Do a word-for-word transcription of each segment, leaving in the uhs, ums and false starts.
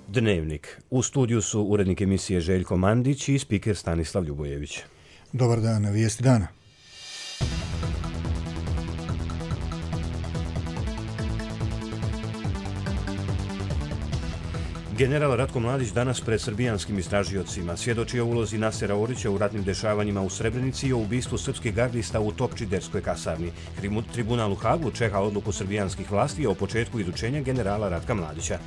Dnevnik. U studiju su urednik emisije Željko Mandić i spiker Stanislav Ljubojević. Dobar dan, vijesti dana. General Ratko Mladić danas pred srbijanskim istražiocima svjedoči o ulozi Nasera Orića u ratnim dešavanjima u Srebrenici i o ubistvu srpskih gardista u Topčiderskoj kasarni. Tribunal u Hagu čeka odluku srbijanskih vlasti o početku izučenja generala Ratka Mladića.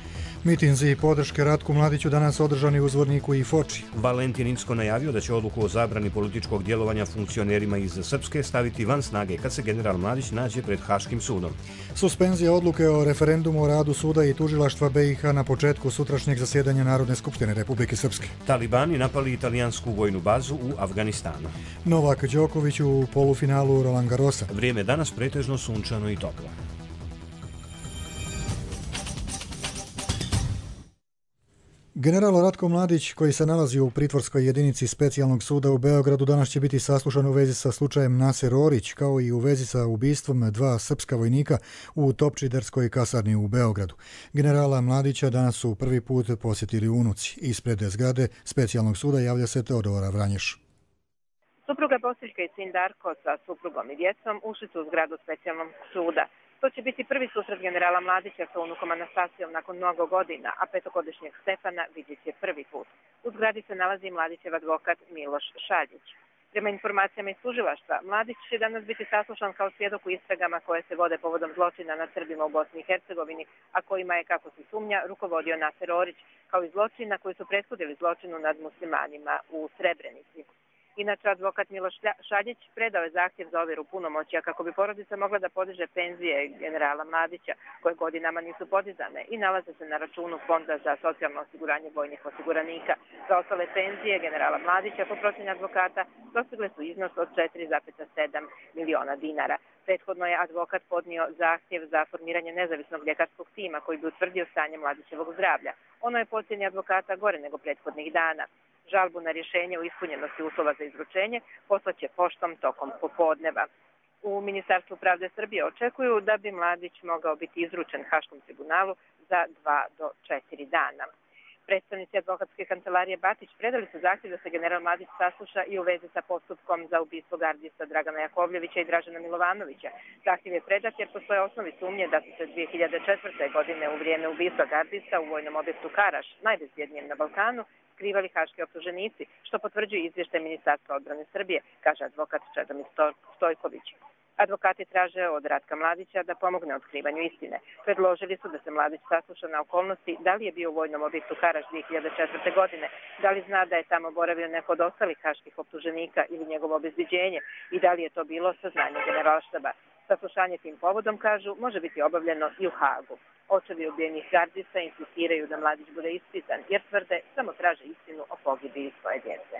Mitinzi podrške Ratku Mladiću danas održani u Zvorniku i Foči. Valentin Incko najavio da će odluku o zabrani političkog djelovanja funkcionerima iz Srpske staviti van snage kad se general Mladić nađe pred Haškim sudom. Suspenzija odluke o referendumu o radu suda i tužilaštva B i H na početku sutrašnjeg zasjedanja Narodne skupštine Republike Srpske. Talibani napali italijansku vojnu bazu u Afganistanu. Novak Đoković u polufinalu Roland Garrosa. Vrijeme danas pretežno sunčano i toplo. General Ratko Mladić, koji se nalazi u pritvorskoj jedinici specijalnog suda u Beogradu, danas će biti saslušan u vezi sa slučajem Naser Orić, kao i u vezi sa ubistvom dva srpska vojnika u Topčiderskoj kasarni u Beogradu. Generala Mladića danas su prvi put posjetili unuci. Ispred zgrade specijalnog suda javlja se Teodora Vranješ. Supruga Bosiljka i sin Darko sa suprugom i djecom ušli su u zgradu specijalnog suda. To će biti prvi susret generala Mladića sa unukom Anastasijom nakon mnogo godina, a petogodišnjeg Stefana vidjet će prvi put. U zgradi se nalazi Mladićev advokat Miloš Šaljić. Prema informacijama iz tužilaštva, Mladić će danas biti saslušan kao svjedok u istragama koje se vode povodom zločina nad Srbima u Bosni i Hercegovini, a kojima je, kako se sumnja, rukovodio Naser Orić, kao i zločina koji su prethodili zločinu nad muslimanima u Srebrenici. Inače, advokat Miloš Šaljić predao je zahtjev za ovjeru punomoćja kako bi porodica mogla da podiže penzije generala Mladića, koje godinama nisu podizane i nalaze se na računu Fonda za socijalno osiguranje vojnih osiguranika. Za ostale penzije generala Mladića, po procjeni advokata, dostigle su iznos od četiri zarez sedam miliona dinara. Prethodno je advokat podnio zahtjev za formiranje nezavisnog ljekarskog tima koji bi utvrdio stanje Mladićevog zdravlja. Ono je po ocjeni advokata gore nego prethodnih dana. Žalbu na rješenje o ispunjenosti uslova za izručenje poslaće poštom tokom popodneva. U Ministarstvu pravde Srbije očekuju da bi Mladić mogao biti izručen Haškom tribunalu za dva do četiri dana. Predstavnici advokatske kancelarije Batić predali su zahtjev da se general Mladić sasluša i u vezi sa postupkom za ubistvo gardista Dragana Jakovljevića i Dražena Milovanovića. Zahtjev je predat jer postoje osnovi sumnje da su se dvije hiljade četvrte. godine u vrijeme ubistva gardista u vojnom objektu Karaš, najbezbjednijem na Balkanu, skrivali haški optuženici, što potvrđuje izvještaj Ministarstva odbrane Srbije, kaže advokat Čedomir Stojković. Advokati traže od Ratka Mladića da pomogne otkrivanju istine. Predložili su da se Mladić sasluša na okolnosti da li je bio u vojnom objektu Karaš dvije hiljade četvrte. godine, da li zna da je tamo boravio neko od ostalih haških optuženika ili njegovo obezbeđenje i da li je to bilo saznanje generalštaba. Saslušanje tim povodom, kažu, može biti obavljeno i u Hagu. Očevi ubijenih gardista insistiraju da Mladić bude ispitan jer tvrde samo traže istinu o pogibiji svoje djece.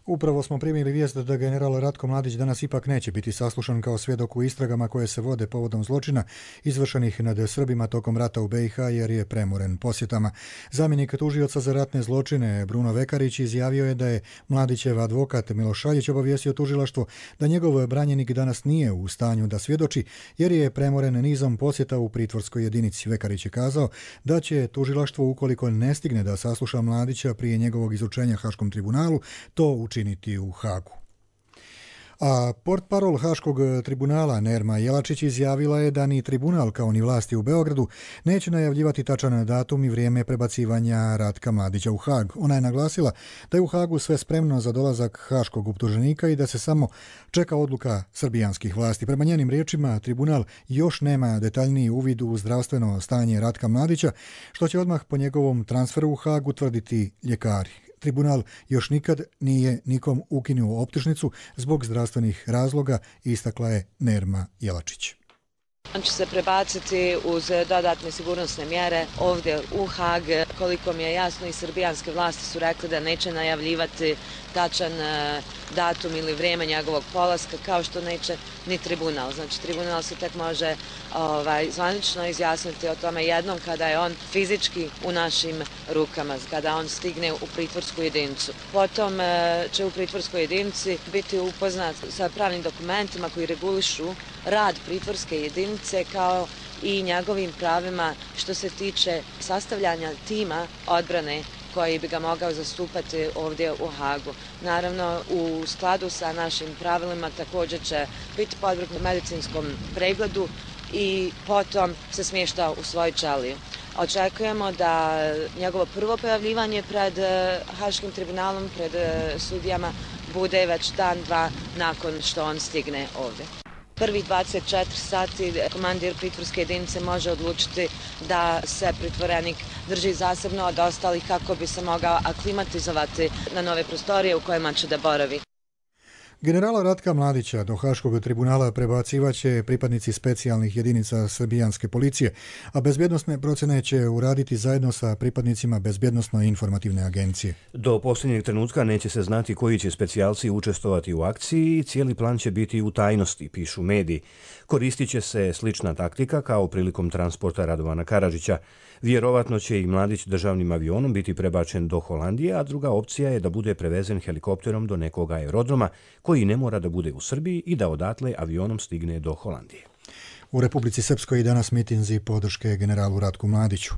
Upravo smo primili vijest da general Ratko Mladić danas ipak neće biti saslušan kao svjedok u istragama koje se vode povodom zločina izvršenih nad Srbima tokom rata u B i H jer je premoren posjetama. Zamjenik tužioca za ratne zločine Bruno Vekarić izjavio je da je Mladićev advokat Miloš Šaljić obavijestio tužilaštvo da njegov branjenik danas nije u stanju da svjedoči jer je premoren nizom posjeta u pritvorskoj jedinici. Vekarić je kazao da će tužilaštvo, ukoliko ne stigne da sasluša Mladića prije njegovog izučenja Haškom tribunalu, to učiniti u Hagu. A portparol Haškog tribunala Nerma Jelačić izjavila je da ni tribunal kao ni vlasti u Beogradu neće najavljivati tačan datum i vrijeme prebacivanja Ratka Mladića u Hag. Ona je naglasila da je u Hagu sve spremno za dolazak haškog optuženika i da se samo čeka odluka srbijanskih vlasti. Prema njenim riječima, tribunal još nema detaljniji uvid u zdravstveno stanje Ratka Mladića, što će odmah po njegovom transferu u Hag utvrditi ljekari. Tribunal još nikad nije nikom ukinuo optužnicu zbog zdravstvenih razloga, istakla je Nerma Jelačić. On će se prebaciti uz dodatne sigurnosne mjere ovdje u Hag. Koliko mi je jasno, i srbijanske vlasti su rekli da neće najavljivati tačan datum ili vrijeme njegovog polaska, kao što neće ni tribunal. Znači, tribunal se tek može ovaj, zvanično izjasniti o tome jednom kada je on fizički u našim rukama, kada on stigne u pritvorsku jedinicu. Potom će u pritvorskoj jedinici biti upoznat sa pravnim dokumentima koji regulišu rad pritvorske jedinice kao i njegovim pravima što se tiče sastavljanja tima odbrane koji bi ga mogao zastupati ovdje u Hagu. Naravno, u skladu sa našim pravilima također će biti podvrgnut medicinskom pregledu i potom se smješta u svoju ćeliju. Očekujemo da njegovo prvo pojavljivanje pred Haškim tribunalom, pred sudijama, bude već dan, dva nakon što on stigne ovdje. Prvih dvadeset četiri sati komandir pritvorske jedinice može odlučiti da se pritvorenik drži zasebno od ostalih kako bi se mogao aklimatizovati na nove prostorije u kojima će da boravi. Generala Ratka Mladića do Haškog tribunala prebacivaće pripadnici specijalnih jedinica srbijanske policije, a bezbjednosne procene će uraditi zajedno sa pripadnicima bezbjednosno-informativne agencije. Do posljednjeg trenutka neće se znati koji će specijalci učestvovati u akciji i cijeli plan će biti u tajnosti, pišu mediji. Koristit će se slična taktika kao prilikom transporta Radovana Karadžića. Vjerovatno će i Mladić državnim avionom biti prebačen do Holandije, a druga opcija je da bude prevezen helikopterom do nekog aerodroma koji ne mora da bude u Srbiji i da odatle avionom stigne do Holandije. U Republici Srpskoj danas mitinzi podrške generalu Ratku Mladiću.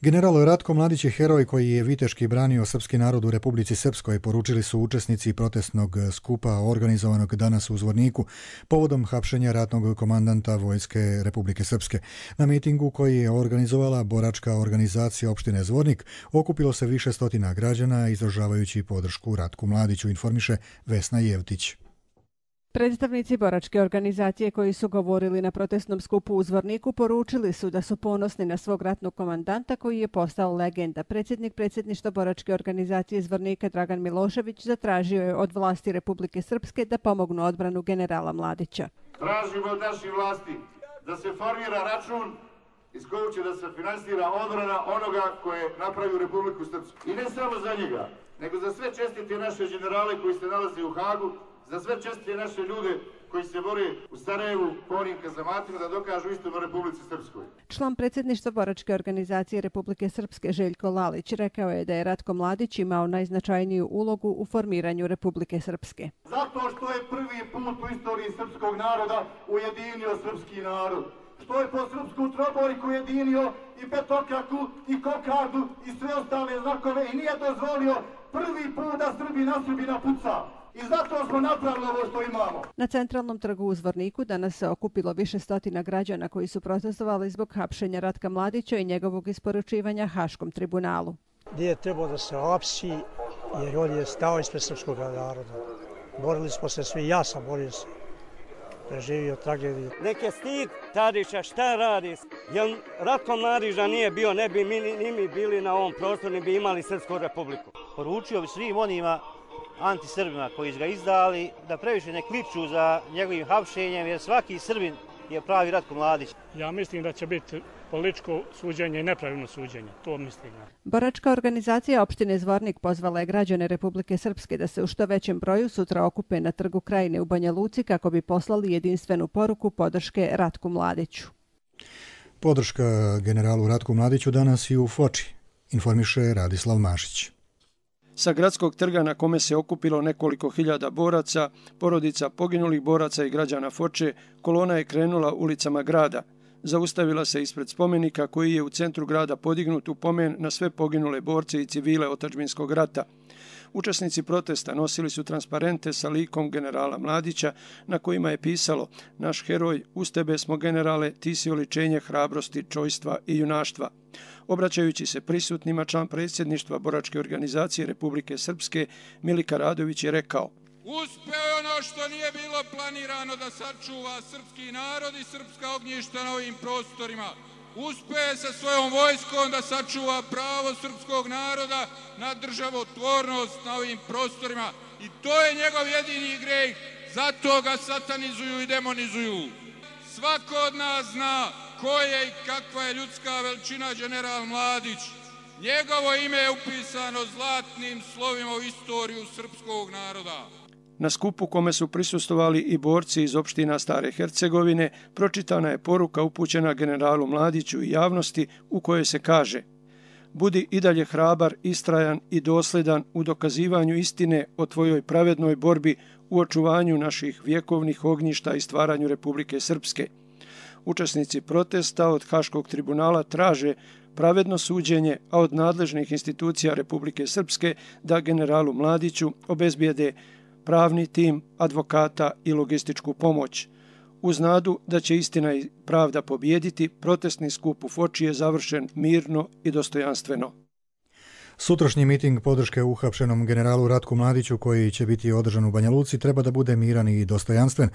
General Ratko Mladić je heroj koji je viteški branio srpski narod u Republici Srpskoj, poručili su učesnici protestnog skupa organizovanog danas u Zvorniku povodom hapšenja ratnog komandanta Vojske Republike Srpske. Na mitingu koji je organizovala boračka organizacija opštine Zvornik okupilo se više stotina građana izražavajući podršku Ratku Mladiću, informiše Vesna Jevtić. Predstavnici boračke organizacije koji su govorili na protestnom skupu u Zvorniku poručili su da su ponosni na svog ratnog komandanta koji je postao legenda. Predsjednik predsjedništva boračke organizacije Zvornika Dragan Milošević zatražio je od vlasti Republike Srpske da pomognu odbranu generala Mladića. Tražimo od naših vlasti da se formira račun iz kojeg će da se finansira odbrana onoga koje napravi Republiku Srpsku. I ne samo za njega, nego za sve čestite naše generale koji se nalaze u Hagu, za sve čestite naše ljude koji se bore u Sarajevu po onim kazamatima da dokažu istinu Republici Srpskoj. Član predsjedništva boračke organizacije Republike Srpske Željko Lalić rekao je da je Ratko Mladić imao najznačajniju ulogu u formiranju Republike Srpske. Zato što je prvi put u istoriji srpskog naroda ujedinio srpski narod. Što je po srpsku trobojku ujedinio i petokraku i kokardu i sve ostale znakove i nije dozvolio prvi put da Srbi na Srbina puca. I zato smo napravili ovo što imamo. Na centralnom trgu u Zvorniku danas se okupilo više stotina građana koji su protestovali zbog hapšenja Ratka Mladića i njegovog isporučivanja Haškom tribunalu. Nije trebao da se hapsi jer on je stao ispred srpskog naroda. Borili smo se svi, ja sam borio se. Preživio tragediju. Nek je stid Tadića šta radi. Jer Ratko Mladića nije bio, ne bi mi, ni mi bili na ovom prostoru, ne bi imali Srpsku republiku. Poručio bi svim onima antisrbima koji su ga izdali da previše ne kliču za njegovim hapšenjem, jer svaki Srbin je pravi Ratko Mladić. Ja mislim da će biti političko suđenje i nepravilno suđenje. To mislim. Boračka organizacija opštine Zvornik pozvala je građane Republike Srpske da se u što većem broju sutra okupe na Trgu Krajine u Banja Luci kako bi poslali jedinstvenu poruku podrške Ratku Mladiću. Podrška generalu Ratku Mladiću danas i u Foči, informiše Radislav Mašić. Sa gradskog trga na kome se okupilo nekoliko hiljada boraca, porodica poginulih boraca i građana Foče, kolona je krenula ulicama grada. Zaustavila se ispred spomenika koji je u centru grada podignut u pomen na sve poginule borce i civile otadžbinskog rata. Učesnici protesta nosili su transparente sa likom generala Mladića na kojima je pisalo: "Naš heroj, uz tebe smo generale, ti si oličenje hrabrosti, čojstva i junaštva." Obraćajući se prisutnima, član predsjedništva boračke organizacije Republike Srpske Milika Radović je rekao: "Uspeo je ono što nije bilo planirano da sačuva srpski narod i srpska ognjišta na ovim prostorima. Uspeo je sa svojom vojskom da sačuva pravo srpskog naroda na državotvornost na ovim prostorima i to je njegov jedini greh, zato ga satanizuju i demonizuju. Svako od nas zna ko je i kakva je ljudska veličina general Mladić. Njegovo ime je upisano zlatnim slovima u istoriju srpskog naroda." Na skupu kome su prisustvovali i borci iz opština Stare Hercegovine, pročitana je poruka upućena generalu Mladiću i javnosti u kojoj se kaže: "Budi i dalje hrabar, istrajan i dosledan u dokazivanju istine o tvojoj pravednoj borbi u očuvanju naših vjekovnih ognjišta i stvaranju Republike Srpske. učesnici protesta od Haškog tribunala traže pravedno suđenje, a od nadležnih institucija Republike Srpske da generalu Mladiću obezbijede pravni tim, advokata i logističku pomoć. Uz nadu da će istina i pravda pobijediti, protestni skup u Foči je završen mirno i dostojanstveno. Sutrašnji miting podrške uhapšenom generalu Ratku Mladiću, koji će biti održan u Banja Luci, treba da bude miran i dostojanstven,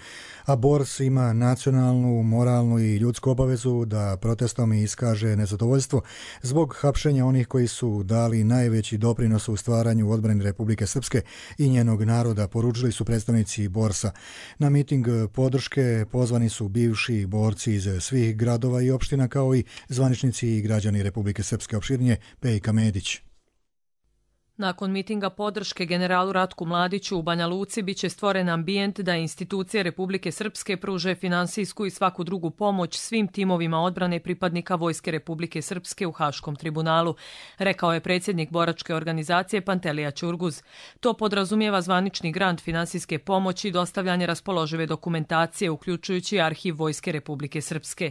a Bors ima nacionalnu, moralnu i ljudsku obavezu da protestom iskaže nezadovoljstvo zbog hapšenja onih koji su dali najveći doprinos u stvaranju odbrane Republike Srpske i njenog naroda, poručili su predstavnici Borsa. Na miting podrške pozvani su bivši borci iz svih gradova i opština, kao i zvaničnici i građani Republike Srpske. Opširnije Pejka Medić. Nakon mitinga podrške generalu Ratku Mladiću u Banja Luci biće stvoren ambijent da institucije Republike Srpske pruže finansijsku i svaku drugu pomoć svim timovima odbrane pripadnika Vojske Republike Srpske u Haškom tribunalu, rekao je predsjednik boračke organizacije Pantelija Ćurguz. To podrazumijeva zvanični grant finansijske pomoći i dostavljanje raspoložive dokumentacije, uključujući arhiv Vojske Republike Srpske.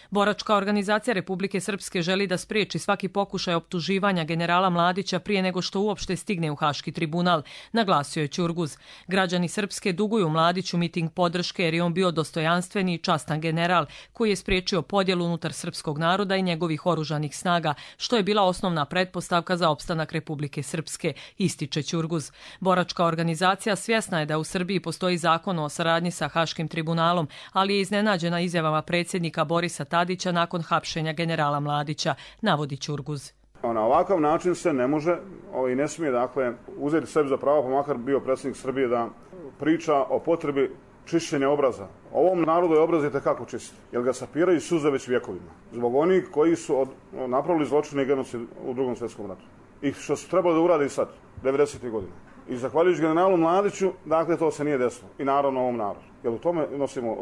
Boračka organizacija Republike Srpske želi da spriječi svaki pokušaj optuživanja generala Mladića prije nego što uopšte stigne u Haški tribunal, naglasio je Ćurguz. Građani Srpske duguju Mladiću miting podrške jer je on bio dostojanstveni i častan general koji je spriječio podjelu unutar srpskog naroda i njegovih oružanih snaga, što je bila osnovna pretpostavka za opstanak Republike Srpske, ističe Ćurguz. Boračka organizacija svjesna je da u Srbiji postoji zakon o saradnji sa Haškim tribunalom, ali je iznenađena izjavama predsjednika Borisa Tadića nakon hapšenja generala Mladića, navodi Ćurguz. Na ovakav način se ne može i ne smije dakle, uzeti sebi za pravo, pa makar bio predsjednik Srbije, da priča o potrebi čišćenja obraza. Ovom narodu je obraz itekako čist, jer ga sapiraju suze već vjekovima. Zbog onih koji su od, napravili zločine i genocid u drugom svjetskom ratu. I što su trebali da urade i sad, devedesetih godina. I zahvaljujući generalu Mladiću, dakle, to se nije desilo. I naravno ovom narodu. Jer u tome nosimo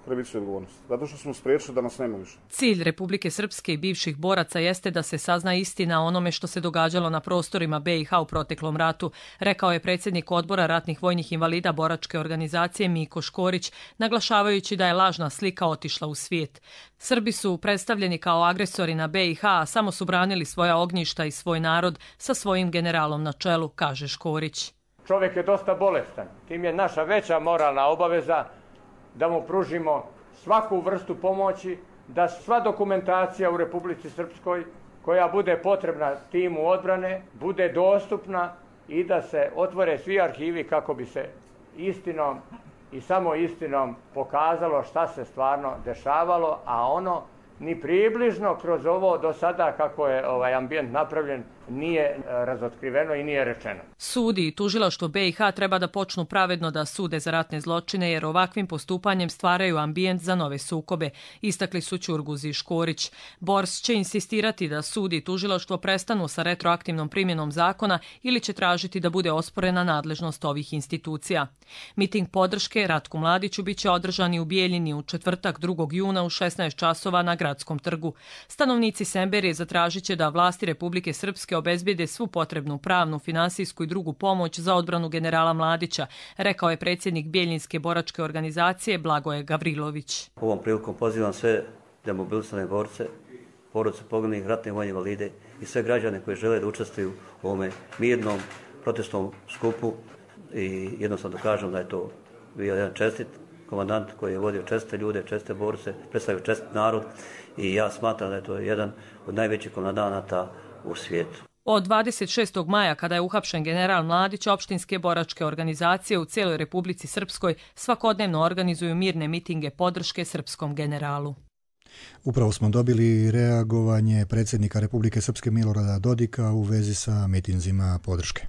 krivicu i odgovornost. Zato što smo spriječili da nas nema više. Cilj Republike Srpske i bivših boraca jeste da se sazna istina o onome što se događalo na prostorima be i ha u proteklom ratu, rekao je predsjednik odbora ratnih vojnih invalida boračke organizacije Miko Škorić, naglašavajući da je lažna slika otišla u svijet. Srbi su predstavljeni kao agresori na be i ha, a samo su branili svoja ognjišta i svoj narod sa svojim generalom na čelu, kaže Škorić. Čovjek je dosta bolestan. Tim je naša veća moralna obaveza da mu pružimo svaku vrstu pomoći, da sva dokumentacija u Republici Srpskoj koja bude potrebna timu odbrane bude dostupna i da se otvore svi arhivi kako bi se istinom i samo istinom pokazalo šta se stvarno dešavalo, a ono ni približno kroz ovo do sada kako je ovaj ambijent napravljen nije razotkriveno i nije rečeno. Sudi i tužilaštvo be i ha treba da počnu pravedno da sude za ratne zločine jer ovakvim postupanjem stvaraju ambijent za nove sukobe, istakli su Ćurguz i Škorić. Bors će insistirati da sudi i tužilaštvo prestanu sa retroaktivnom primjenom zakona ili će tražiti da bude osporena nadležnost ovih institucija. Miting podrške Ratku Mladiću biće održan i u Bijeljini u četvrtak drugog juna u šesnaest časova na Gradskom trgu. Stanovnici Semberije zatražit će da vlasti Republike Srpske obezbijede svu potrebnu pravnu, finansijsku i drugu pomoć za odbranu generala Mladića, rekao je predsjednik Bijeljinske boračke organizacije Blagoje Gavrilović. Ovom prilikom pozivam sve demobilisane borce, porodice poginulih, ratne vojne invalide i sve građane koji žele da učestvuju u ovome mirnom protestnom skupu i jednostavno da kažem da je to bio jedan čestit komandant koji je vodio česte ljude, česte borce, predstavio čest narod i ja smatram da je to jedan od najvećih komandanata u svijetu. Od dvadeset šestog maja, kada je uhapšen general Mladić, opštinske boračke organizacije u cijeloj Republici Srpskoj svakodnevno organizuju mirne mitinge podrške srpskom generalu. Upravo smo dobili reagovanje predsjednika Republike Srpske Milorada Dodika u vezi sa mitinzima podrške.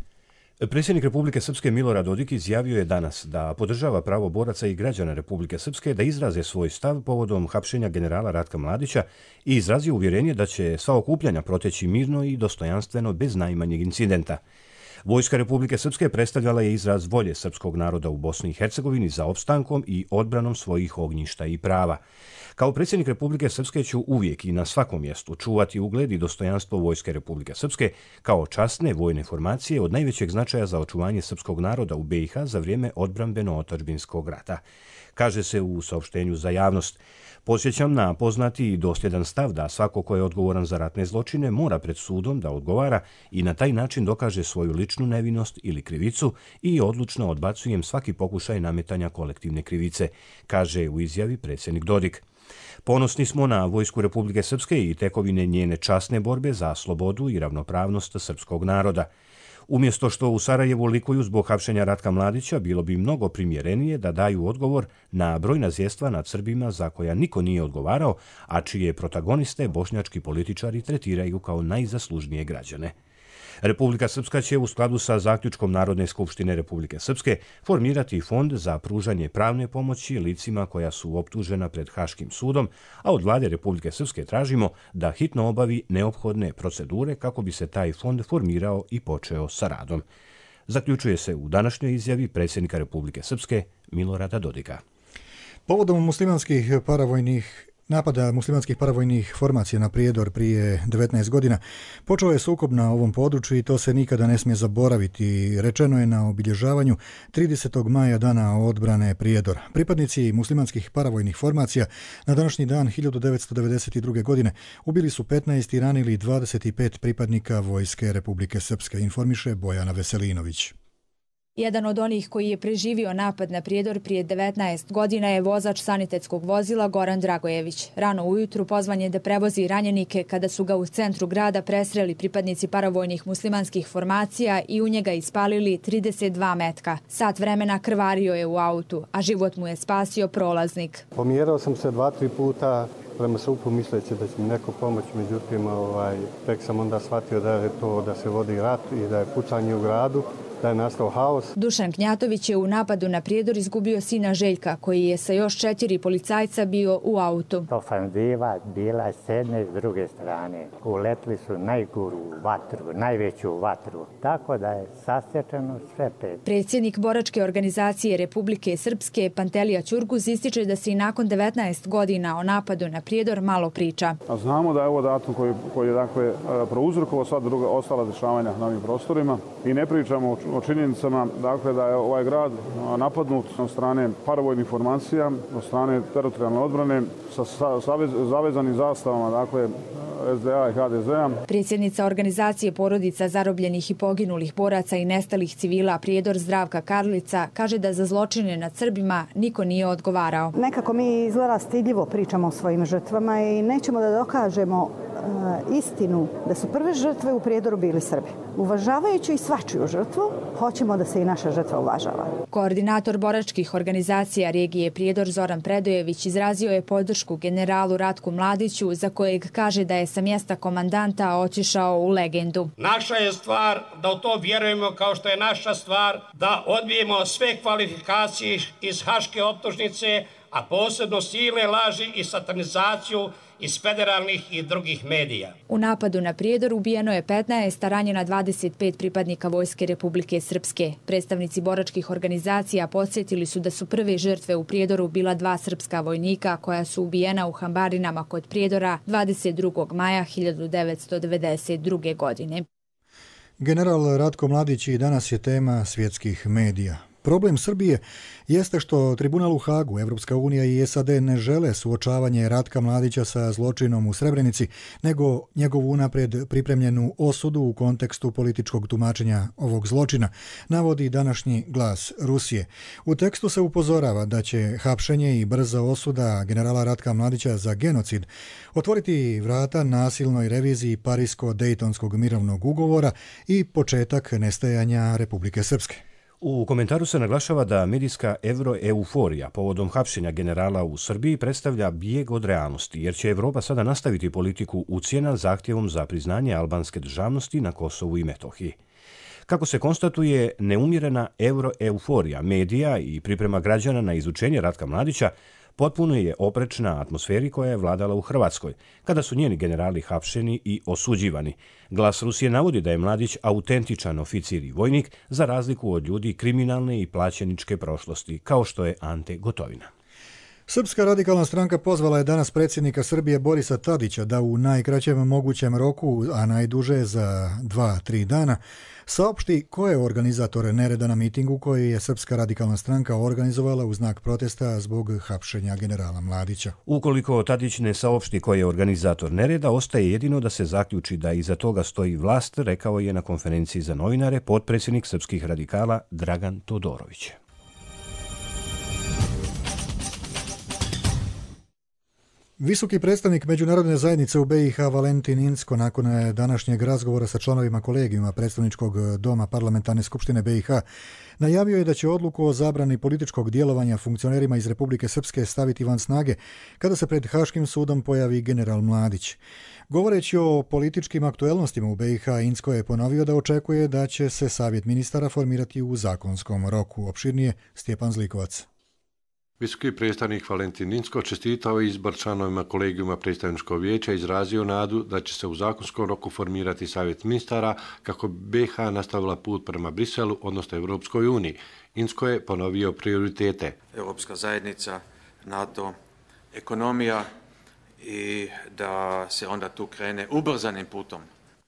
Predsjednik Republike Srpske Milorad Dodik izjavio je danas da podržava pravo boraca i građana Republike Srpske da izraze svoj stav povodom hapšenja generala Ratka Mladića i izrazio uvjerenje da će sva okupljanja proteći mirno i dostojanstveno bez najmanjeg incidenta. Vojska Republike Srpske predstavljala je izraz volje srpskog naroda u Bosni i Hercegovini za opstankom i odbranom svojih ognjišta i prava. Kao predsjednik Republike Srpske ću uvijek i na svakom mjestu čuvati ugled i dostojanstvo Vojske Republike Srpske kao časne vojne formacije od najvećeg značaja za očuvanje srpskog naroda u B i H za vrijeme odbrambeno-otadžbinskog rata. Kaže se u saopštenju za javnost. Podsjećam na poznati i dosljedan stav da svako ko je odgovoran za ratne zločine mora pred sudom da odgovara i na taj način dokaže svoju ličnu nevinost ili krivicu i odlučno odbacujem svaki pokušaj nametanja kolektivne krivice, kaže u izjavi predsjednik Dodik. Ponosni smo na Vojsku Republike Srpske i tekovine njene časne borbe za slobodu i ravnopravnost srpskog naroda. Umjesto što u Sarajevu likuju zbog hapšenja Ratka Mladića, bilo bi mnogo primjerenije da daju odgovor na brojna zvjerstva nad Srbima za koja niko nije odgovarao, a čije protagoniste bošnjački političari tretiraju kao najzaslužnije građane. Republika Srpska će u skladu sa zaključkom Narodne skupštine Republike Srpske formirati fond za pružanje pravne pomoći licima koja su optužena pred Haškim sudom, a od vlade Republike Srpske tražimo da hitno obavi neophodne procedure kako bi se taj fond formirao i počeo sa radom. Zaključuje se u današnjoj izjavi predsjednika Republike Srpske Milorada Dodika. Povodom muslimanskih paravojnih Napada muslimanskih paravojnih formacija na Prijedor prije devetnaest godina počeo je sukob na ovom području i to se nikada ne smije zaboraviti. Rečeno je na obilježavanju tridesetog maja dana odbrane Prijedora. Pripadnici muslimanskih paravojnih formacija na današnji dan hiljadu devetsto devedeset druge. godine ubili su petnaest i ranili dvadeset pet pripadnika Vojske Republike Srpske, informiše Bojana Veselinović. Jedan od onih koji je preživio napad na Prijedor prije devetnaest godina je vozač sanitetskog vozila Goran Dragojević. Rano ujutru pozvan je da prevozi ranjenike kada su ga u centru grada presreli pripadnici paravojnih muslimanskih formacija i u njega ispalili trideset dva metka. Sat vremena krvario je u autu, a život mu je spasio prolaznik. Pomjerao sam se dva, tri puta prema supu misleći da će mi neko pomoći, međutim ovaj, tek sam onda shvatio da je to da se vodi rat i da je pucanje u gradu, da je nastao haos. Dušan Knjatović je u napadu na Prijedor izgubio sina Željka, koji je sa još četiri policajca bio u autu. Ofanziva bila s jedne i s druge strane. Uletli su najguru vatru, najveću vatru. Tako da je sasječeno sve pet. Predsjednik boračke organizacije Republike Srpske Pantelija Ćurguz ističe da se i nakon devetnaest godina o napadu na Prijedor malo priča. A znamo da je ovo datum koji, koji je dakle prouzrokovao sva druga ostala dešavanja na ovim prostorima i ne pričamo o o činjenicama dakle, da je ovaj grad napadnut od strane paravojnih formacija, od strane teritorijalne odbrane sa savez, zavezanim zastavama, dakle S D A i H D Z A. Predsjednica organizacije porodica zarobljenih i poginulih boraca i nestalih civila Prijedor Zdravka Karlica kaže da za zločine nad Srbima niko nije odgovarao. Nekako mi izgleda stidljivo pričamo o svojim žrtvama i nećemo da dokažemo uh, istinu da su prve žrtve u Prijedoru bili Srbi. Uvažavajući i svačiju žrtvu, hoćemo da se i naša žrtva uvažava. Koordinator boračkih organizacija regije Prijedor Zoran Predojević izrazio je podršku generalu Ratku Mladiću, za kojeg kaže da je sa mjesta komandanta otišao u legendu. Naša je stvar da u to vjerujemo, kao što je naša stvar da odbijemo sve kvalifikacije iz haške optužnice, a posebno silne laži i satanizaciju iz federalnih i drugih medija. U napadu na Prijedor ubijeno je petnaest, a ranjena dvadeset pet pripadnika Vojske Republike Srpske. Predstavnici boračkih organizacija podsjetili su da su prve žrtve u Prijedoru bila dva srpska vojnika koja su ubijena u Hambarinama kod Prijedora dvadeset drugog maja hiljadu devetsto devedeset druge. godine. General Ratko Mladić i danas je tema svjetskih medija. Problem Srbije jeste što Tribunal u Hagu, Evropska unija i S A D ne žele suočavanje Ratka Mladića sa zločinom u Srebrenici, nego njegovu unaprijed pripremljenu osudu u kontekstu političkog tumačenja ovog zločina, navodi današnji Glas Rusije. U tekstu se upozorava da će hapšenje i brza osuda generala Ratka Mladića za genocid otvoriti vrata nasilnoj reviziji Parisko-Dejtonskog mirovnog ugovora i početak nestajanja Republike Srpske. U komentaru se naglašava da medijska evroeuforija povodom hapšenja generala u Srbiji predstavlja bijeg od realnosti, jer će Evropa sada nastaviti politiku ucjena zahtjevom za priznanje albanske državnosti na Kosovu i Metohiji. Kako se konstatuje, neumjerena evroeuforija medija i priprema građana na izučenje Ratka Mladića potpuno je oprečna atmosferi koja je vladala u Hrvatskoj, kada su njeni generali hapšeni i osuđivani. Glas Rusije navodi da je Mladić autentičan oficir i vojnik, za razliku od ljudi kriminalne i plaćeničke prošlosti, kao što je Ante Gotovina. Srpska radikalna stranka pozvala je danas predsjednika Srbije Borisa Tadića da u najkraćem mogućem roku, a najduže za dva, tri dana, saopšti ko je organizator nereda na mitingu koji je Srpska radikalna stranka organizovala u znak protesta zbog hapšenja generala Mladića. Ukoliko Tadić ne saopšti ko je organizator nereda, ostaje jedino da se zaključi da iza toga stoji vlast, rekao je na konferenciji za novinare potpredsjednik srpskih radikala Dragan Todorović. Visoki predstavnik međunarodne zajednice u B i H Valentin Incko nakon današnjeg razgovora sa članovima kolegijuma predstavničkog doma Parlamentarne skupštine B i H najavio je da će odluku o zabrani političkog djelovanja funkcionerima iz Republike Srpske staviti van snage kada se pred Haškim sudom pojavi general Mladić. Govoreći o političkim aktuelnostima u B i H, Incko je ponovio da očekuje da će se savjet ministara formirati u zakonskom roku. Opširnije Stjepan Zlikovac. Visoki predstavnik Valentin Incko čestitao izbor članovima kolegijuma predstavničkog vijeća i izrazio nadu da će se u zakonskom roku formirati savjet ministara kako bi B i H nastavila put prema Briselu, odnosno Europskoj uniji. Incko je ponovio prioritete. Europska zajednica, NATO, ekonomija i da se onda tu krene ubrzanim putom.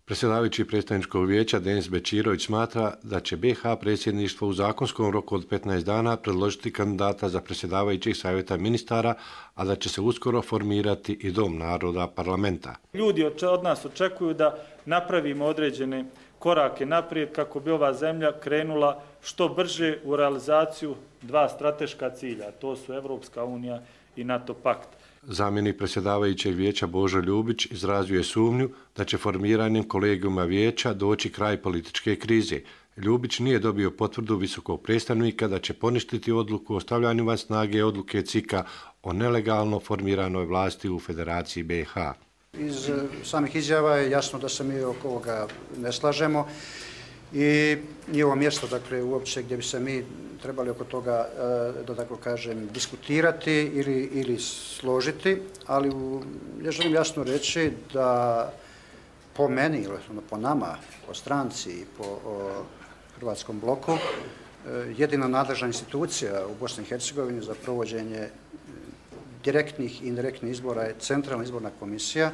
Predsjedavajući predstavničkog vijeća Denis Bečirović smatra da će B i H predsjedništvo u zakonskom roku od petnaest dana predložiti kandidata za predsjedavajućeg savjeta ministara, a da će se uskoro formirati i Dom naroda parlamenta. Ljudi od nas očekuju da napravimo određene korake naprijed kako bi ova zemlja krenula što brže u realizaciju dva strateška cilja, to su Evropska unija i NATO pakt. Zamjenik predsjedavajućeg vijeća Božo Ljubić izrazio je sumnju da će formiranjem kolegijuma vijeća doći kraj političke krize. Ljubić nije dobio potvrdu visokog predstavnika da će poništiti odluku o stavljanju van snage odluke C I K-a o nelegalno formiranoj vlasti u Federaciji B i H. Iz samih izjava je jasno da se mi oko ovoga ne slažemo i nije ovo mjesto, dakle, uopće gdje bi se mi trebali oko toga, da tako kažem, diskutirati ili, ili složiti, ali u, ja želim jasno reći da po meni, po nama, po stranci i po o, Hrvatskom bloku, jedina nadležna institucija u Bosni i Hercegovini za provođenje direktnih i indirektnih izbora je Centralna izborna komisija.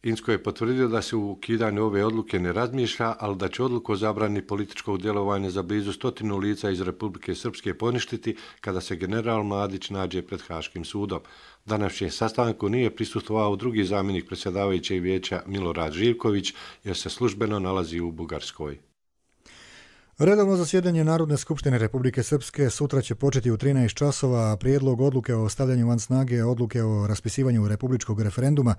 Incko je potvrdio da se u ukidanju ove odluke ne razmišlja, ali da će odluku o zabrani političkog djelovanja za blizu stotinu lica iz Republike Srpske poništiti kada se general Mladić nađe pred Haškim sudom. Današnjem sastanku nije prisustvovao drugi zamjenik predsjedavajućeg vijeća Milorad Živković jer se službeno nalazi u Bugarskoj. Redovno zasjedanje Narodne skupštine Republike Srpske sutra će početi u trinaest časova, a prijedlog odluke o stavljanju van snage odluke o raspisivanju republičkog referenduma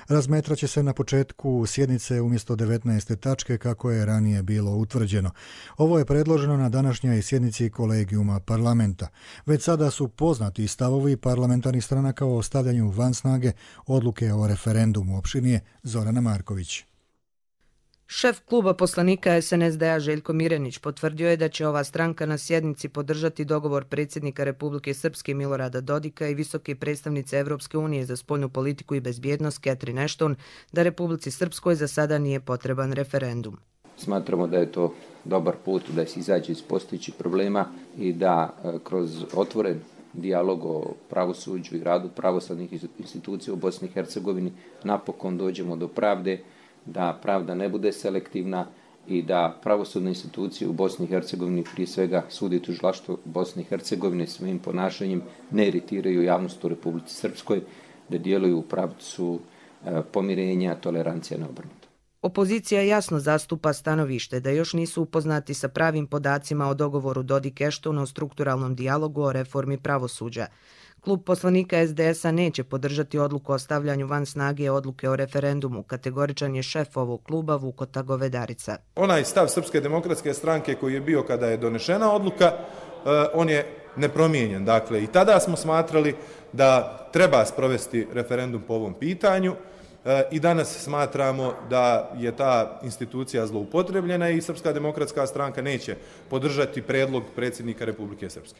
razmetraće se na početku sjednice umjesto devetnaeste tačke kako je ranije bilo utvrđeno. Ovo je predloženo na današnjoj sjednici kolegijuma parlamenta. Već sada su poznati stavovi parlamentarnih stranaka o stavljanju van snage odluke o referendumu. Opširnije Zorana Marković. Šef kluba poslanika S N S D-a Željko Mirenić potvrdio je da će ova stranka na sjednici podržati dogovor predsjednika Republike Srpske Milorada Dodika i visoke predstavnice Evropske unije za spoljnu politiku i bezbjednost Catherine Ashton da Republici Srpskoj za sada nije potreban referendum. Smatramo da je to dobar put da se izađe iz postojećih problema i da kroz otvoren dijalog o pravosuđu i radu pravosudnih institucija u Bosni i Hercegovini napokon dođemo do pravde, da pravda ne bude selektivna i da pravosudne institucije u Bosni i Hercegovini, prije svega sud i tužilaštvo Bosne i Hercegovine, svojim ponašanjem ne iritiraju javnost u Republici Srpskoj, da djeluju u pravcu pomirenja, tolerancija neobrnuta. Opozicija jasno zastupa stanovište da još nisu upoznati sa pravim podacima o dogovoru Dodik-Ashton o strukturalnom dijalogu o reformi pravosuđa. Klub poslanika S D S-a neće podržati odluku o stavljanju van snage odluke o referendumu, kategoričan je šef ovog kluba Vukota Govedarica. Onaj stav Srpske demokratske stranke koji je bio kada je donešena odluka, on je nepromijenjen. Dakle, i tada smo smatrali da treba sprovesti referendum po ovom pitanju i danas smatramo da je ta institucija zloupotrebljena i Srpska demokratska stranka neće podržati predlog predsjednika Republike Srpske.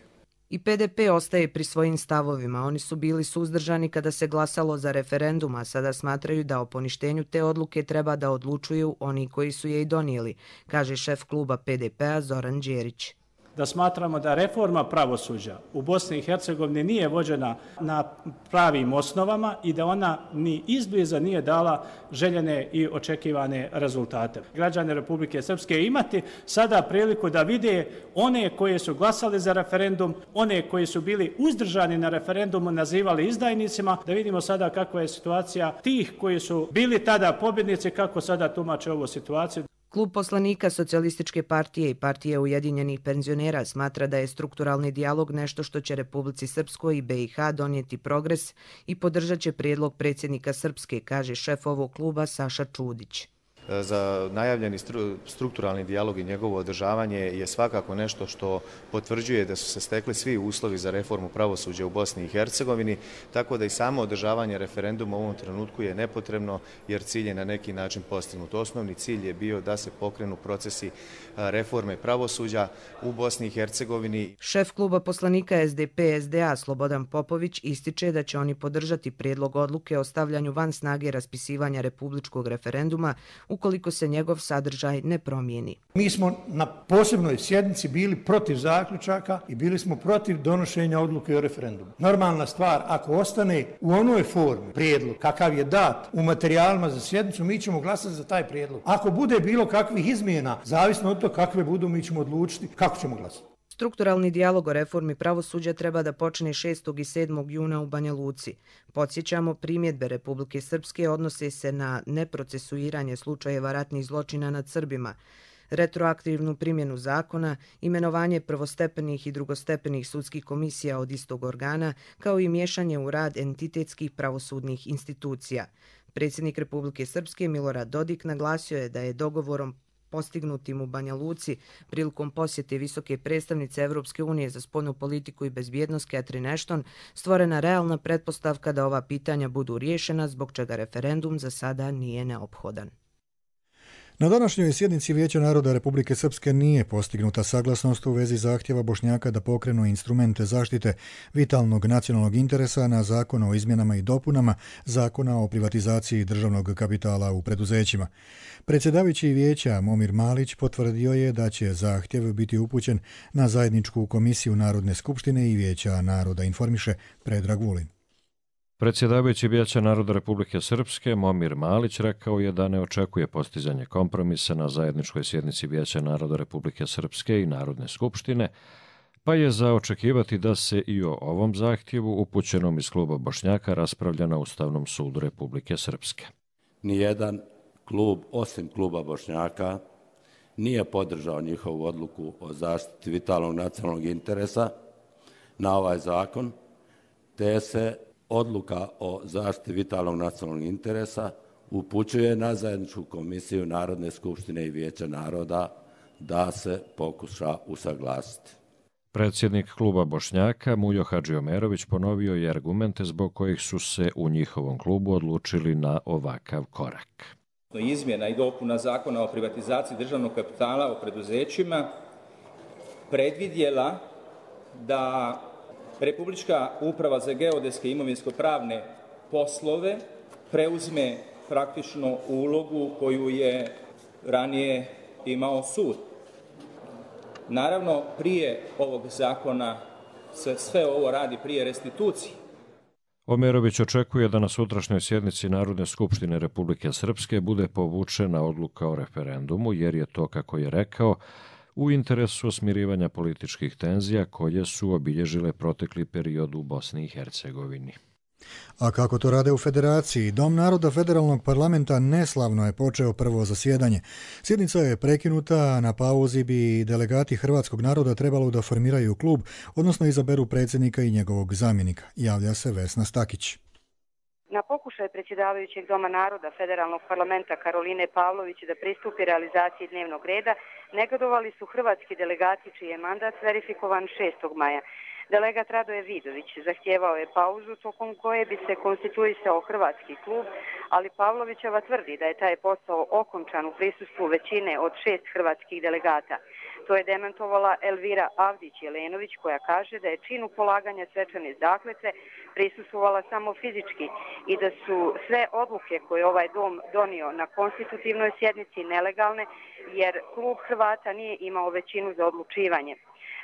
I P D P ostaje pri svojim stavovima. Oni su bili suzdržani kada se glasalo za referendum, a sada smatraju da o poništenju te odluke treba da odlučuju oni koji su je i donijeli, kaže šef kluba P D P-a Zoran Đerić. da smatramo da reforma pravosuđa u Bosni i Hercegovini nije vođena na pravim osnovama i da ona ni izbliza nije dala željene i očekivane rezultate. Građani Republike Srpske imati sada priliku da vide one koje su glasali za referendum, one koji su bili uzdržani na referendumu nazivali izdajnicima, da vidimo sada kakva je situacija tih koji su bili tada pobjednici, kako sada tumače ovu situaciju. Klub poslanika Socijalističke partije i Partije ujedinjenih penzionera smatra da je strukturalni dijalog nešto što će Republici Srpskoj i B i H donijeti progres i podržat će prijedlog predsjednika Srpske, kaže šef ovog kluba Saša Čudić. Za najavljeni strukturalni dijalog i njegovo održavanje je svakako nešto što potvrđuje da su se stekli svi uslovi za reformu pravosuđa u Bosni i Hercegovini, tako da i samo održavanje referenduma u ovom trenutku je nepotrebno jer cilj je na neki način postignut. Osnovni cilj je bio da se pokrenu procesi reforme pravosuđa u Bosni i Hercegovini. Šef kluba poslanika S D P S D A Slobodan Popović ističe da će oni podržati prijedlog odluke o stavljanju van snage raspisivanja republičkog referenduma ukoliko se njegov sadržaj ne promijeni. Mi smo na posebnoj sjednici bili protiv zaključaka i bili smo protiv donošenja odluke o referendumu. Normalna stvar, ako ostane u onoj formi prijedlog kakav je dat u materijalima za sjednicu, mi ćemo glasati za taj prijedlog. Ako bude bilo kakvih izmjena, zavisno od toga kakve budu, mi ćemo odlučiti kako ćemo glasati. Strukturalni dijalog o reformi pravosuđa treba da počne šestog i sedmog juna u Banja Luci. Podsjećamo, primjedbe Republike Srpske odnose se na neprocesuiranje slučajeva ratnih zločina nad Srbima, retroaktivnu primjenu zakona, imenovanje prvostepenih i drugostepenih sudskih komisija od istog organa, kao i miješanje u rad entitetskih pravosudnih institucija. Predsjednik Republike Srpske Milorad Dodik naglasio je da je dogovorom postignutim u Banja Luci prilikom posjete visoke predstavnice Evropske unije za spoljnu politiku i bezbjednost Catherine Ashton stvorena realna pretpostavka da ova pitanja budu riješena, zbog čega referendum za sada nije neophodan. Na današnjoj sjednici Vijeća naroda Republike Srpske nije postignuta saglasnost u vezi zahtjeva Bošnjaka da pokrenu instrumente zaštite vitalnog nacionalnog interesa na zakon o izmjenama i dopunama Zakona o privatizaciji državnog kapitala u preduzećima. Predsjedavajući Vijeća Momir Malić potvrdio je da će zahtjev biti upućen na zajedničku komisiju Narodne skupštine i Vijeća naroda, informiše Predrag Vulin. Predsjedavajući Vijeća naroda Republike Srpske Momir Malić rekao je da ne očekuje postizanje kompromisa na zajedničkoj sjednici Vijeća naroda Republike Srpske i Narodne skupštine, pa je za očekivati da se i o ovom zahtjevu upućenom iz kluba Bošnjaka raspravlja na Ustavnom sudu Republike Srpske. Nijedan klub, osim kluba Bošnjaka, nije podržao njihovu odluku o zaštiti vitalnog nacionalnog interesa na ovaj zakon, te se odluka o zaštiti vitalnog nacionalnog interesa upućuje na zajedničku komisiju Narodne skupštine i Vijeća naroda da se pokuša usaglasiti. Predsjednik kluba Bošnjaka Mujo Hadžiomerović ponovio je argumente zbog kojih su se u njihovom klubu odlučili na ovakav korak. Izmjena i dopuna Zakona o privatizaciji državnog kapitala u preduzećima predvidjela da Republička uprava za geodetske i imovinsko-pravne poslove preuzme praktično ulogu koju je ranije imao sud. Naravno, prije ovog zakona se sve ovo radi prije restitucije. Omerović očekuje da na sutrašnjoj sjednici Narodne skupštine Republike Srpske bude povučena odluka o referendumu, jer je to, kako je rekao, u interesu smirivanja političkih tenzija koje su obilježile protekli period u Bosni i Hercegovini. A kako to rade u Federaciji? Dom naroda Federalnog parlamenta neslavno je počeo prvo zasjedanje. Sjednica je prekinuta, na pauzi bi delegati hrvatskog naroda trebalo da formiraju klub, odnosno izaberu predsjednika i njegovog zamjenika. Javlja se Vesna Stakić. Na pokušaj predsjedavajućeg Doma naroda Federalnog parlamenta Karoline Pavlović da pristupi realizaciji dnevnog reda, negodovali su hrvatski delegati čiji je mandat verifikovan šestog maja. Delegat Radoje Vidović zahtijevao je pauzu tokom koje bi se konstituisao hrvatski klub, ali Pavlovićeva tvrdi da je taj posao okončan u prisustvu većine od šest hrvatskih delegata. To je demantovala Elvira Avdić-Jelenović, koja kaže da je činu polaganja svečane zakletve prisustvovala samo fizički i da su sve odluke koje ovaj dom donio na konstitutivnoj sjednici nelegalne, jer klub Hrvata nije imao većinu za odlučivanje.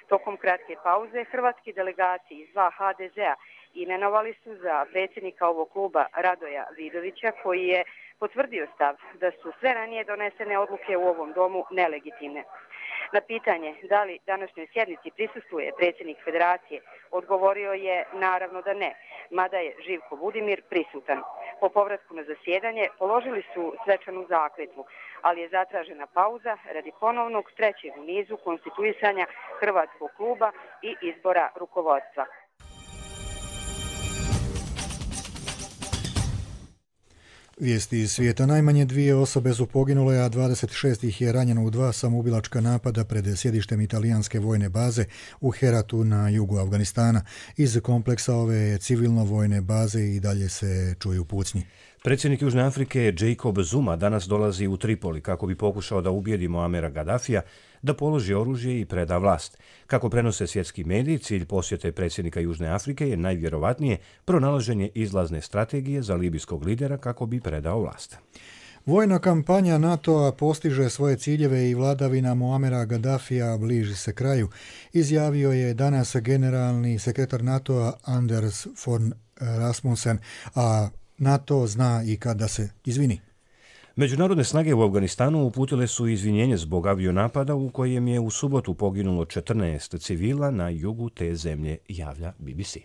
Tokom kratke pauze hrvatski delegati iz dva ha de zea imenovali su za predsjednika ovog kluba Radoja Vidovića, koji je potvrdio stav da su sve ranije donesene odluke u ovom domu nelegitimne. Na pitanje da li današnjoj sjednici prisustvuje predsjednik federacije, odgovorio je naravno da ne, mada je Živko Budimir prisutan. Po povratku na zasjedanje položili su svečanu zakletvu, ali je zatražena pauza radi ponovnog trećeg u nizu konstituisanja hrvatskog kluba i izbora rukovodstva. Vijesti iz svijeta. Najmanje dvije osobe su poginule, a dvadeset šest ih je ranjeno u dva samoubilačka napada pred sjedištem italijanske vojne baze u Heratu na jugu Afganistana. Iz kompleksa ove civilno-vojne baze i dalje se čuju pucnji. Predsjednik Južne Afrike Jacob Zuma danas dolazi u Tripoli kako bi pokušao da ubijedi Muamera Gaddafija da položi oružje i preda vlast. Kako prenose svjetski mediji, cilj posjete predsjednika Južne Afrike je najvjerovatnije pronalaženje izlazne strategije za libijskog lidera kako bi predao vlast. Vojna kampanja NATO-a postiže svoje ciljeve i vladavina Muamera Gaddafija bliži se kraju, izjavio je danas generalni sekretar NATO-a Anders Fogh Rasmussen, a NATO zna i kada se izvini. Međunarodne snage u Afganistanu uputile su izvinjenje zbog avionapada u kojem je u subotu poginulo četrnaest civila na jugu te zemlje, javlja B B C.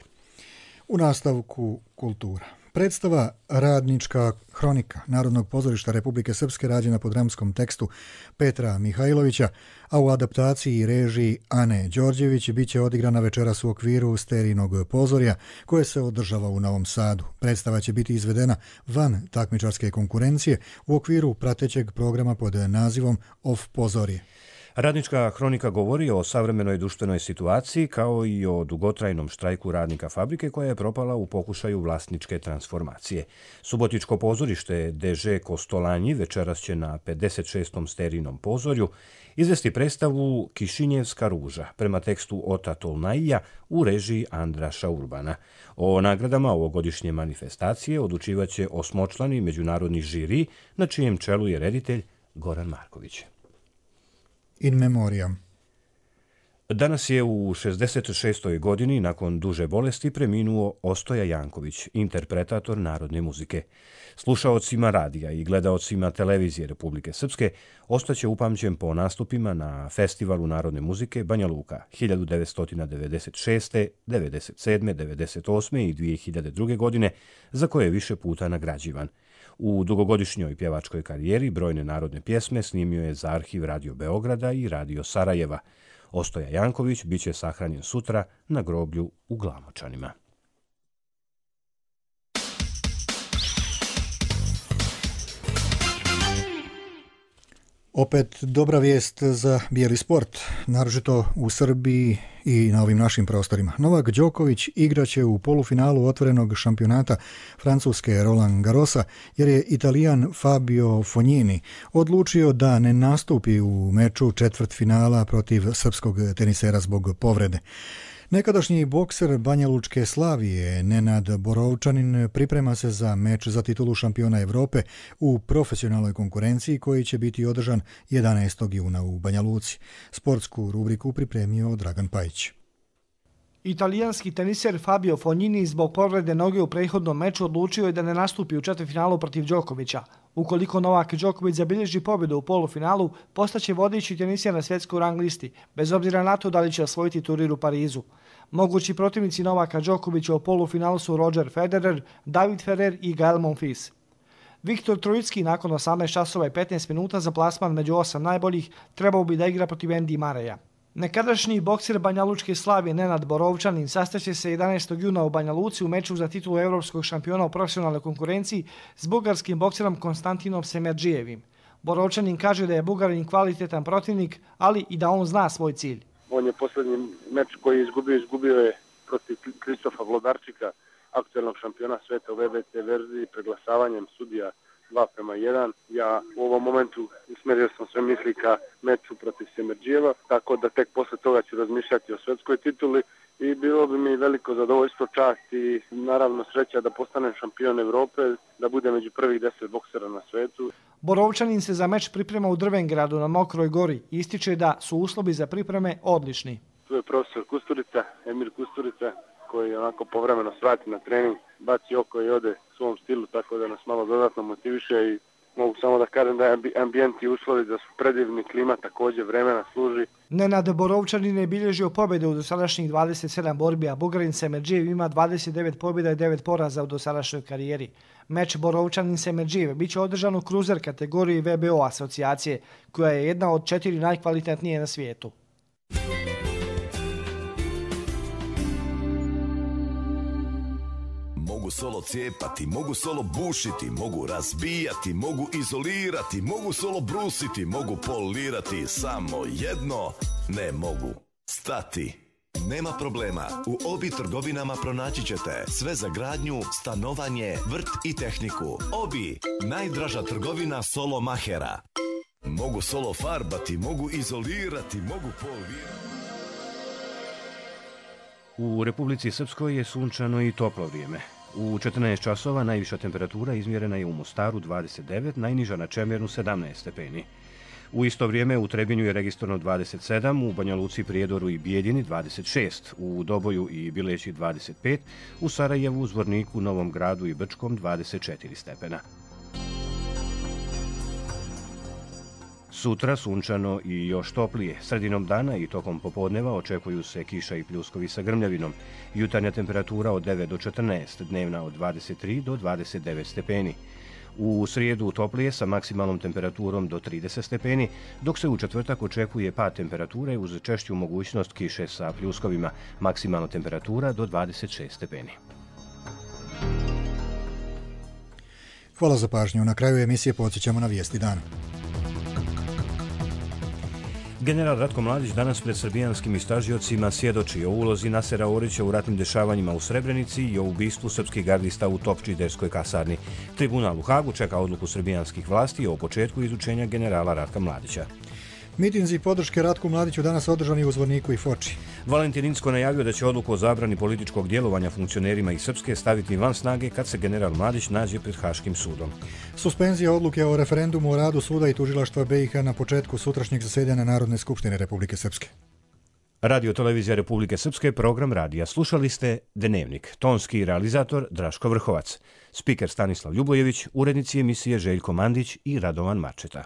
U nastavku kultura. Predstava Radnička hronika Narodnog pozorišta Republike Srpske rađena po dramskom tekstu Petra Mihajlovića, a u adaptaciji i režiji Ane Đorđević bit će odigrana večeras u okviru Sterinog pozorja koje se održava u Novom Sadu. Predstava će biti izvedena van takmičarske konkurencije u okviru pratećeg programa pod nazivom Off pozorje. Radnička hronika govori o savremenoj društvenoj situaciji kao i o dugotrajnom štrajku radnika fabrike koja je propala u pokušaju vlasničke transformacije. Subotičko pozorište D Ž Kostolanji večeras će na pedeset šestom Sterinom pozorju izvesti predstavu Kišinjevska ruža prema tekstu Ota Tolnaija u režiji Andraša Urbana. O nagradama ovogodišnje manifestacije odlučivaće osmočlani međunarodni žiri na čijem čelu je reditelj Goran Marković. In memoriam. Danas je u šezdeset šestoj godini nakon duže bolesti preminuo Ostoja Janković, interpretator narodne muzike. Slušaocima radija i gledaocima televizije Republike Srpske ostaće upamćen po nastupima na Festivalu narodne muzike Banja Luka hiljadu devetsto devedeset šeste, devedeset sedme, devedeset osme i dvije hiljade druge. godine, za koje je više puta nagrađivan. U dugogodišnjoj pjevačkoj karijeri brojne narodne pjesme snimio je za arhiv Radio Beograda i Radio Sarajeva. Ostoja Janković bit će sahranjen sutra na groblju u Glamočanima. Opet dobra vijest za bijeli sport, naročito u Srbiji i na ovim našim prostorima. Novak Đoković igraće u polufinalu otvorenog šampionata Francuske Roland Garrosa jer je Italijan Fabio Fognini odlučio da ne nastupi u meču četvrtfinala protiv srpskog tenisera zbog povrede. Nekadašnji bokser Banjalučke Slavije Nenad Borovčanin priprema se za meč za titulu šampiona Evrope u profesionalnoj konkurenciji koji će biti održan jedanaestog juna u Banja Luci. Sportsku rubriku pripremio Dragan Pajić. Italijanski teniser Fabio Fognini zbog povrede noge u prethodnom meču odlučio je da ne nastupi u četvrtfinalu protiv Đokovića. Ukoliko Novak Đoković zabilježi pobjedu u polufinalu, postaće vodeći teniser na svjetskoj rang listi, bez obzira na to da li će osvojiti turnir u Parizu. Mogući protivnici Novaka Đokovića u polufinalu su Roger Federer, David Ferrer i Gael Monfils. Viktor Trojicki nakon osamnaest časova i petnaest minuta za plasman među osam najboljih trebao bi da igra protiv Andy Murraya. Nekadašnji bokser Banjalučke Slavije Nenad Borovčanin sastaće se jedanaestog juna u Banja Luci u meču za titulu evropskog šampiona u profesionalnoj konkurenciji s bugarskim bokserom Konstantinom Semerdžijevim. Borovčanin kaže da je Bugarin kvalitetan protivnik, ali i da on zna svoj cilj. On je posljednji meč koji je izgubio, izgubio je protiv Kristofa Vlodarčika, aktuelnog šampiona sveta u V B C verziji, preglasavanjem sudija dva prema jedan. Ja u ovom momentu usmjerio sam sve misli ka meču protiv Semerdžijeva, tako da tek posle toga ću razmišljati o svetskoj tituli i bilo bi mi veliko zadovoljstvo, čast i naravno sreća da postanem šampion Evrope, da bude među prvih deset boksera na svetu. Borovčanin se za meč priprema u Drvengradu na Mokroj gori i ističe da su uslovi za pripreme odlični. tu je profesor Kusturica, Emir Kusturica, koji onako povremeno svrati na trening, baci oko i ode u svom stilu, tako da nas malo dodatno motiviše i mogu samo da kažem da je ambijent i uslovi da su predivni, klima također, vremena služi. Nenad Borovčanin je bilježio pobjede u dosadašnjih dvadeset sedam borbi, a Bugarin Semerđijev ima dvadeset devet pobjeda i devet poraza u dosadašnjoj karijeri. Meč Borovčanin-Semerđijev bit će održan u kruzer kategoriji V B O asocijacije, koja je jedna od četiri najkvalitetnije na svijetu. Mogu solo cijepati, mogu solo bušiti, mogu razbijati, mogu izolirati, mogu solo brusiti, mogu polirati, samo jedno ne mogu stati. Nema problema, u Obi trgovinama pronaći ćete sve za gradnju, stanovanje, vrt i tehniku. Obi, najdraža trgovina solo mahera. Mogu solo farbati, mogu izolirati, mogu polirati. U Republici Srpskoj je sunčano i toplo vrijeme. U četrnaest časova najviša temperatura izmjerena je u Mostaru dvadeset devet, najniža na Čemernu sedamnaest stepeni. U isto vrijeme u Trebinju je registrovano dvadeset sedam, u Banja Luci, Prijedoru i Bijeljini dvadeset šest, u Doboju i Bileći dvadeset pet, u Sarajevu, Zvorniku, Novom Gradu i Brčkom dvadeset četiri stepena. Sutra sunčano i još toplije. Sredinom dana i tokom popodneva očekuju se kiša i pljuskovi sa grmljavinom. Jutarnja temperatura od devet do četrnaest, dnevna od dvadeset tri do dvadeset devet stepeni. U srijedu toplije sa maksimalnom temperaturom do trideset stepeni, dok se u četvrtak očekuje pad temperature uz češću mogućnost kiše sa pljuskovima, maksimalna temperatura do dvadeset šest stepeni. Hvala za pažnju. Na kraju emisije podsjećamo na vijesti dana. General Ratko Mladić danas pred srbijanskim istražiocima svjedoči o ulozi Nasera Orića u ratnim dešavanjima u Srebrenici i o ubistvu srpskih gardista u Topčiderskoj kasarni. Tribunal u Hagu čeka odluku srbijanskih vlasti o početku izučenja generala Ratka Mladića. Mitinzi podrške Ratku Mladiću danas održani u Zvorniku i Foči. Valentin Incko najavio da će odluku o zabrani političkog djelovanja funkcionerima iz Srpske staviti van snage kad se general Mladić nađe pred Haškim sudom. Suspenzija odluke o referendumu o radu suda i tužilaštva B i H na početku sutrašnjeg zasedanja Narodne skupštine Republike Srpske. Radio televizija Republike Srpske, program radija. Slušali ste Dnevnik. Tonski realizator Draško Vrhovac. Spiker Stanislav Ljubojević, urednici emisije Željko Mandić i Radovan Marčeta.